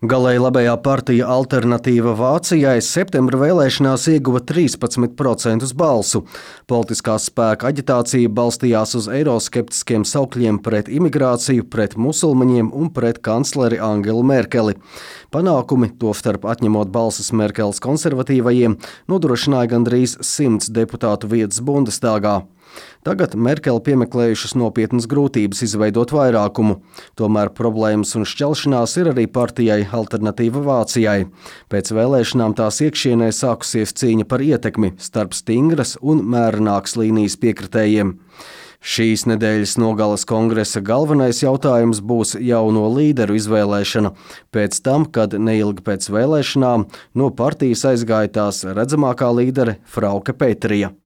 Galēji labējā partija Alternatīva Vācijai septembra vēlēšanās ieguva 13% balsu. Politiskās spēka aģitācija balstījās uz eiroskeptiskiem saukļiem pret imigrāciju, pret musulmaņiem un pret kancleri Angelu Merkeli. Panākumi, tostarp atņemot balsis Merkeles konservatīvajiem, nodrošināja gandrīz 100 deputātu vietas Bundestāgā. Tagad Merkele piemeklējušas nopietnas grūtības izveidot vairākumu. Tomēr problēmas un šķelšanās ir arī partijai Alternatīva Vācijai. Pēc vēlēšanām tās iekšienē sākusies cīņa par ietekmi starp stingras un mērenākas līnijas piekritējiem. Šīs nedēļas nogales kongresa galvenais jautājums būs jauno līderu izvēlēšana. Pēc tam, kad neilgi pēc vēlēšanām no partijas aizgāja tās redzamākā līdere Frauke Petryja.